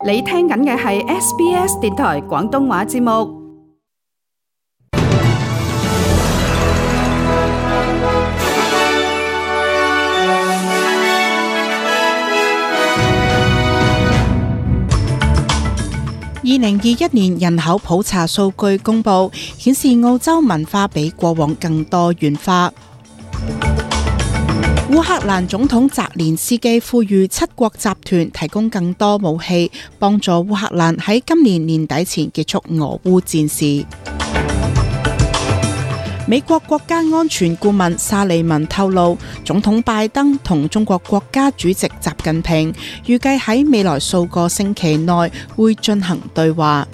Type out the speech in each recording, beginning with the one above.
你聽緊嘅係 SBS 電台廣東話節目。2021年人口普查數據公佈，顯示澳洲文化比過往更多元化。烏克蘭總統澤連斯基呼籲七國集團提供更多武器，幫助烏克蘭喺今年年底前結束俄烏戰事。美國國家安全顧問沙利文透露，總統拜登同中國國家主席習近平預計喺未來數個星期內會進行對話。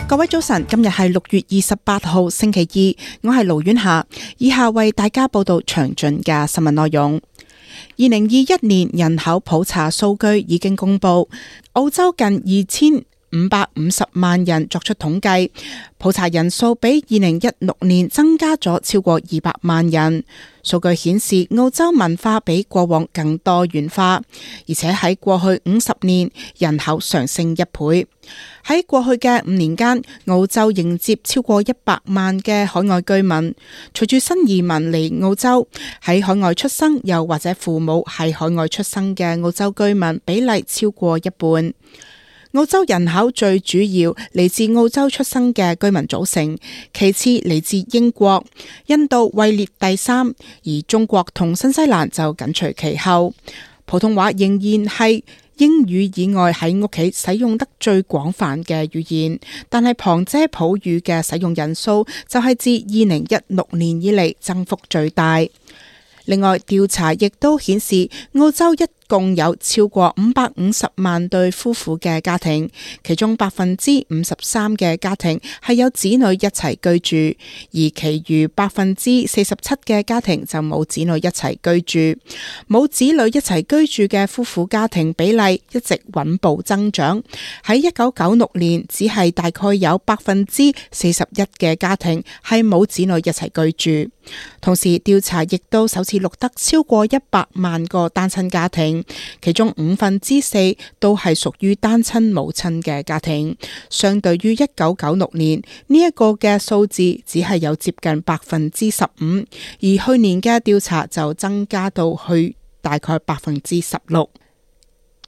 各位早晨，今日係6月28號星期二，我係盧婉霞，以下為大家報道詳盡嘅新聞內容。2021年人口普查數據已經公佈，澳洲近2550萬人作出統計，普查人數比2016年增加咗超過200萬人。數據顯示澳洲文化比過往更多元化，而且喺過去50年人口上升1倍。喺過去嘅5年間，澳洲迎接超過100萬嘅海外居民。隨住新移民嚟澳洲，喺海外出生又或者父母係海外出生嘅澳洲居民比例超過一半。澳洲人口最主要嚟自澳洲出生嘅居民組成，其次嚟自英國，印度位列第3，而中國同新西蘭就緊隨其後。普通話仍然係英語以外喺屋企使用得最廣泛嘅語言，但係旁遮普語嘅使用人數就係自2016年以嚟增幅最大。另外，調查亦都顯示澳洲一共有超過550萬對夫婦嘅家庭，其中53%嘅家庭係有子女一齊居住，而其餘47%嘅家庭就冇子女一齊居住。冇子女一齊居住嘅夫婦家庭比例一直穩步增長，喺1996年只係大概有41%嘅家庭係冇子女一齊居住。同時，調查亦都首次錄得超過100萬個單親家庭，其中4%都係屬於單親母親嘅家庭，相對於1996年呢一個嘅數字只係有接近15%，而去年嘅調查就增加到去大概16%。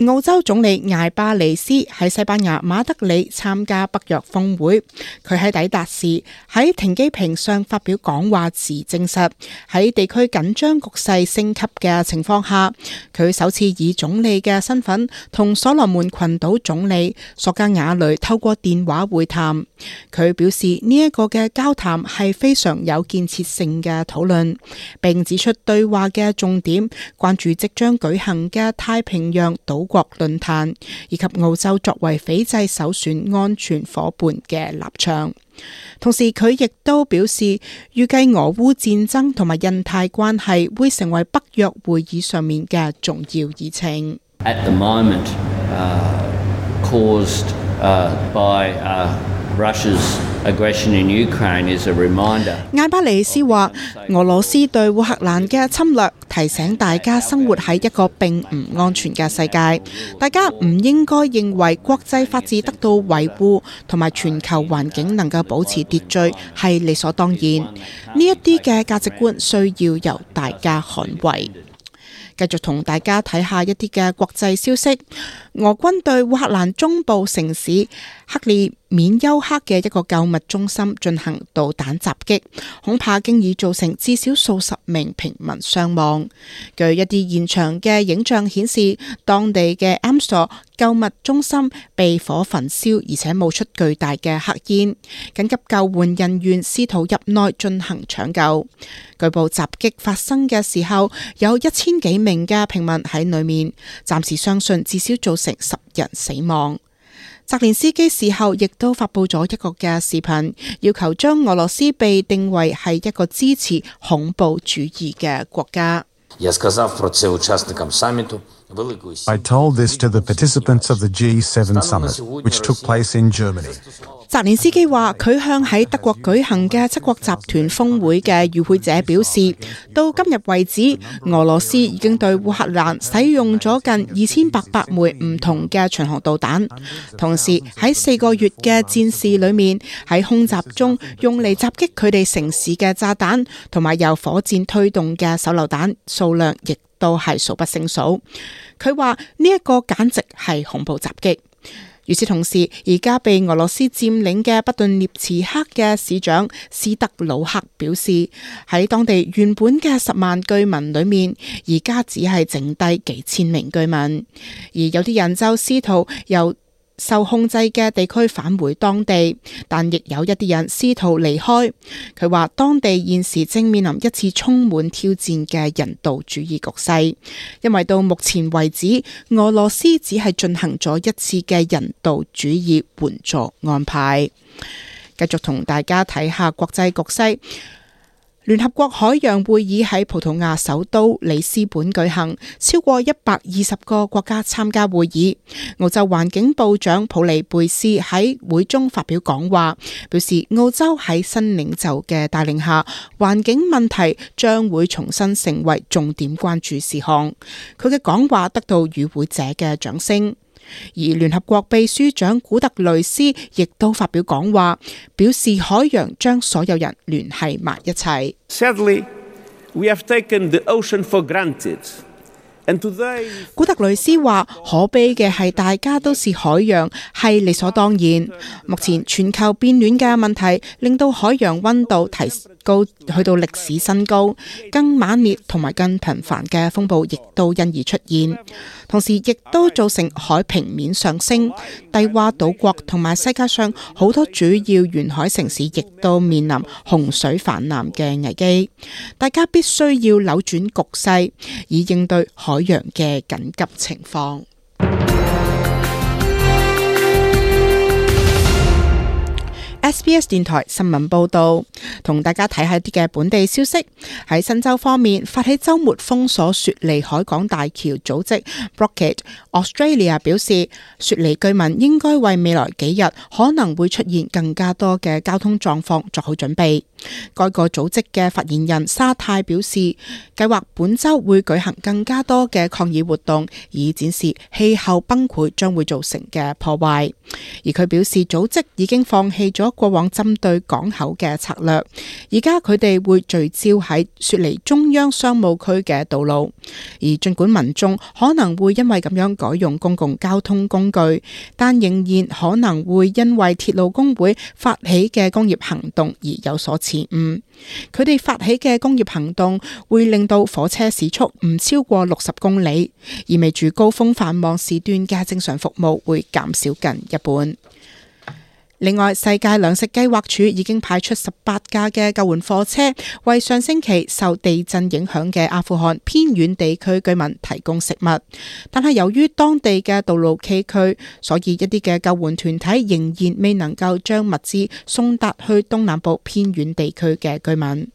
澳洲總理艾巴尼斯喺西班牙馬德里參加北約峰會，佢喺抵達時喺停機坪上發表講話時證實，喺地區緊張局勢升級嘅情況下，佢首次以總理嘅身份同所羅門群島總理索加瓦雷透過電話會談。佢表示呢一個嘅交談係非常有建設性嘅討論，並指出對話嘅重點關注即將舉行嘅太平洋島國論壇，以及澳洲作為斐濟首選安全夥伴嘅立場。同時，佢亦都表示，預計俄烏戰爭同埋印太關係會成為北約會議上面嘅重要議程。At the moment, caused by Russia's aggression in Ukraine is a reminder. 艾巴尼斯話，俄羅斯對烏克蘭嘅侵略提醒大家生活喺一個並唔安全嘅世界，大家唔應該認為國際法治得到維護同埋全球環境能夠保持秩序係理所當然。呢一啲嘅價值觀需要由大家捍衛。繼續同大家睇下一啲嘅國際消息。俄軍對烏克蘭中部城市克里緬丘克嘅一個購物中心進行導彈襲擊，恐怕經已造成至少數十名平民傷亡。據一啲現場嘅影像顯示，當地嘅 Amstor 購物中心被火焚燒，而且冒出巨大嘅黑煙。緊急救援人員試圖入內進行搶救。據報襲擊發生嘅時候，有1000幾名嘅平民喺裏面，暫時相信至少造成10人死亡。澤連斯基事後亦都發佈咗一個嘅視頻，要求將俄羅斯被定為係一個支持恐怖主義嘅國家。I told this to the participants of the G7 summit, which took place in Germany. 澤連斯基話佢向喺德國舉行嘅七國集團峰會嘅與會者表示，到今日為止，俄羅斯已經對烏克蘭使用咗近2800枚唔同嘅巡航導彈，同時喺4個月嘅戰事裏面，喺空襲中用嚟襲擊佢哋城市嘅炸彈同埋由火箭推動嘅手榴彈數量亦都係數不勝數。佢話呢一個簡直係恐怖襲擊。與此同時，而家被俄羅斯佔領嘅北頓涅茨克嘅市長斯德魯克表示，喺當地原本嘅10萬居民裏面，而家只係剩低幾千名居民，而有啲人就試圖由受控制嘅地區返回當地，但亦有一啲人試圖離開。佢話當地現時正面臨一次充滿挑戰嘅人道主義局勢，因為到目前為止，俄羅斯只係進行咗一次嘅人道主義援助安排。繼續同大家睇下國際局勢。聯合國海洋會議喺葡萄牙首都里斯本舉行，超過120個國家參加會議。澳洲環境部長普利貝斯喺會中發表講話，表示澳洲喺新領袖嘅帶領下，環境問題將會重新成為重點關注事項。佢嘅講話得到與會者嘅掌聲。而聯合國秘書長古特雷斯亦都發表講話，表示海洋將所有人聯繫埋一齊。Sadly, we have taken the ocean for granted. And today, 古特雷斯話：可悲嘅係大家都視海洋係理所當然。目前全球變暖嘅問題令到海洋溫度提高去到歷史新高，更猛烈同埋更頻繁嘅風暴亦都因而出現，同時亦都造成海平面上升。低洼島國同埋世界上好多主要沿海城市亦都面臨洪水泛濫嘅危機。大家必須要扭轉局勢，以應對海洋嘅緊急情況。SBS 電台新聞報道，同大家睇下啲嘅本地消息。喺新州方面，發起週末封鎖雪梨海港大橋組織 Blockade Australia 表示，雪梨居民應該為未來幾日可能會出現更加多嘅交通狀況作好準備。該個組織嘅發言人沙泰表示，計劃本週會舉行更加多嘅抗議活動，以展示氣候崩潰將會造成嘅破壞。而佢表示，組織已經放棄咗過往針對港口嘅策略，而家佢哋會聚焦喺雪梨中央商務區嘅道路。而儘管民眾可能會因為咁樣改用公共交通工具，但仍然可能會因為鐵路工會發起嘅工業行動而有所遲誤。佢哋發起嘅工業行動會令到火車時速唔超過60公里，意味住高峰繁忙時段嘅正常服務會減少近一半。另外，世界糧食計劃署已經派出18架嘅救援貨車，為上星期受地震影響嘅阿富汗偏遠地區居民提供食物。但係由於當地嘅道路崎嶇，所以一啲嘅救援團體仍然未能夠將物資送達去東南部偏遠地區嘅居民。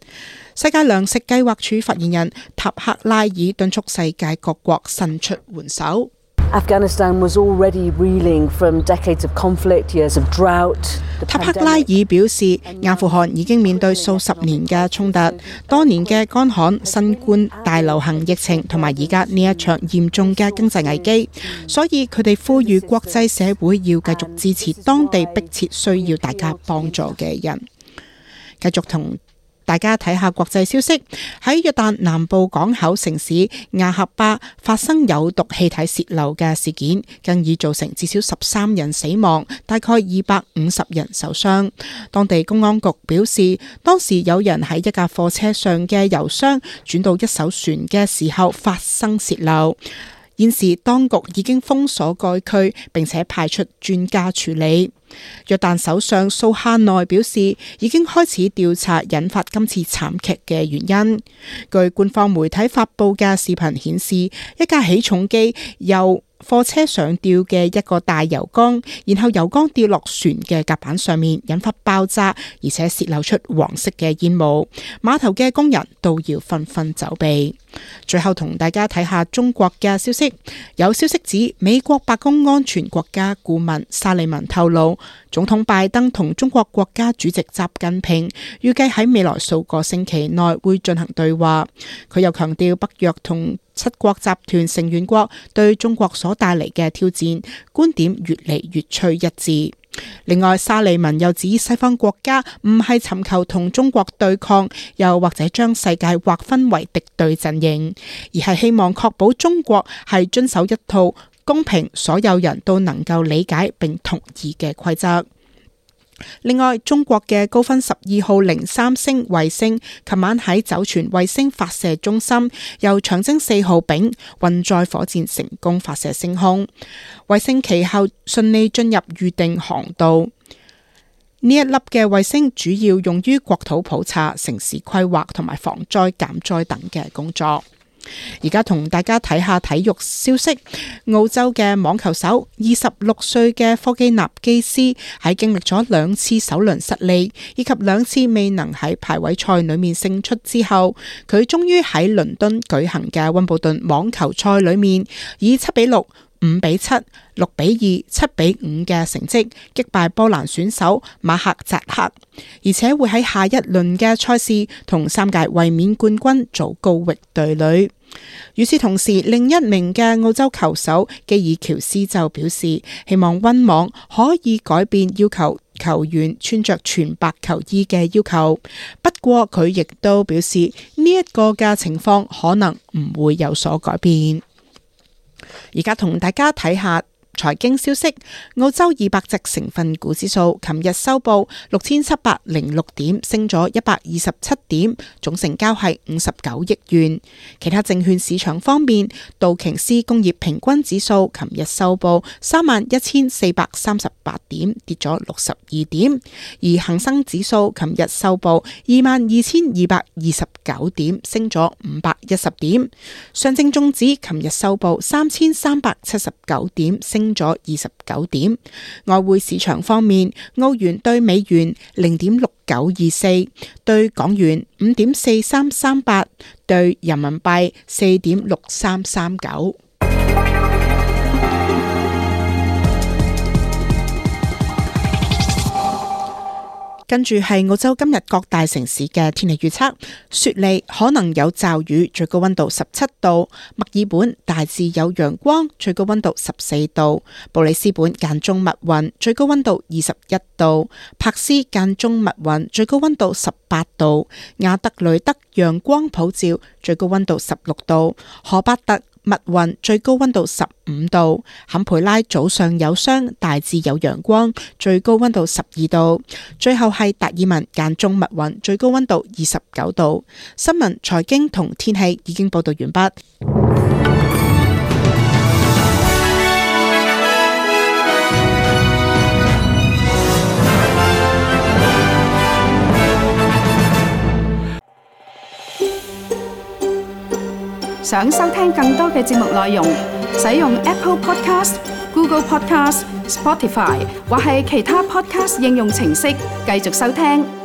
世界糧食計劃署發言人塔克拉爾敦促世界各國伸出援手。Afghanistan was already reeling from decades of conflict, years of drought. 塔克拉爾表示，阿富汗已經面對數十年嘅衝突，多年嘅乾旱、新冠大流行疫情同埋而家呢一場嚴重嘅經濟危機，所以佢哋呼籲國際社會要繼續支持當地迫切需要大家幫助嘅人。繼續同大家睇下國際消息，喺約旦南部港口城市亞喀巴發生有毒氣體洩漏嘅事件，更已造成至少13人死亡，大概250人受傷。當地公安局表示，當時有人喺一架貨車上嘅油箱轉到一艘船嘅時候發生洩漏。現時當局已經封鎖該區，並且派出專家處理。約旦首相蘇哈內表示，已經開始調查引發今次慘劇嘅原因。據官方媒體發布嘅視頻顯示，一架起重機由貨車上吊嘅一個大油缸，然後油缸掉落船嘅甲板上面，引發爆炸，而且洩漏出黃色嘅煙霧。碼頭嘅工人都要紛紛走避。最後同大家睇下中國嘅消息，有消息指美國白宮安全國家顧問沙利文透露，總統拜登同中國國家主席習近平預計喺未來數個星期內會進行對話。佢又強調北約同七國集團成員國對中國所帶嚟嘅挑戰觀點越嚟越趨一致。另外，沙利文又指西方國家唔係尋求同中國對抗，又或者將世界劃分為敵對陣營，而係希望確保中國係遵守一套公平、所有人都能夠理解並同意嘅規則。另外，中國嘅高分12號03星衛星琴晚喺酒泉衛星發射中心由長征4號丙運載火箭成功發射升空，衛星其後順利進入預定航道。呢一粒嘅衛星主要用於國土普查、城市規劃同埋防災減災等嘅工作。而家同大家睇下體育消息，澳洲嘅網球手26歲嘅科基納基斯喺經歷咗2次首輪失利，以及2次未能喺排位賽裏面勝出之後，佢終於喺倫敦舉行嘅溫布頓網球賽裏面以7-6、5-7、6-2、7-5嘅成績擊敗波蘭選手馬克扎克，而且會喺下一輪嘅賽事同3屆衛冕冠軍祖高域對壘。與此同時，另一名嘅澳洲球手基爾喬斯就表示，希望溫網可以改變要求球員穿着全白球衣嘅要求。不過佢亦都表示，呢一個嘅情況可能唔會有所改變。而家同大家睇下財經消息，澳洲200隻成分股指數琴日收報6706點，升咗127點，總成交係59億元。其他證券市場方面，道瓊斯工業平均指數琴日收報31438點，跌咗62點，而恒生指數琴日收報22229點，升咗510點。上證綜指琴日收報3379點，升咗29點。外匯市場方面，澳元對美元0.6924，對港元5.4338，對人民幣4.6339。跟住係澳洲今日各大城市嘅天氣預測：雪梨可能有驟雨，最高溫度17度；墨爾本大致有陽光，最高溫度14度；布里斯本間中密雲，最高溫度21度；柏斯間中密雲，最高溫度18度；亞德雷德陽光普照，最高溫度16度；荷巴特密雲，最高溫度15度；坎培拉早上有霜，大致有陽光，最高溫度12度；最後係達爾文間中密雲，最高溫度29度。新聞、財經同天氣已經報道完畢。想收聽更多嘅節目內容，使用 Apple Podcast、Google Podcast、Spotify 或係其他 Podcast 應用程式繼續收聽。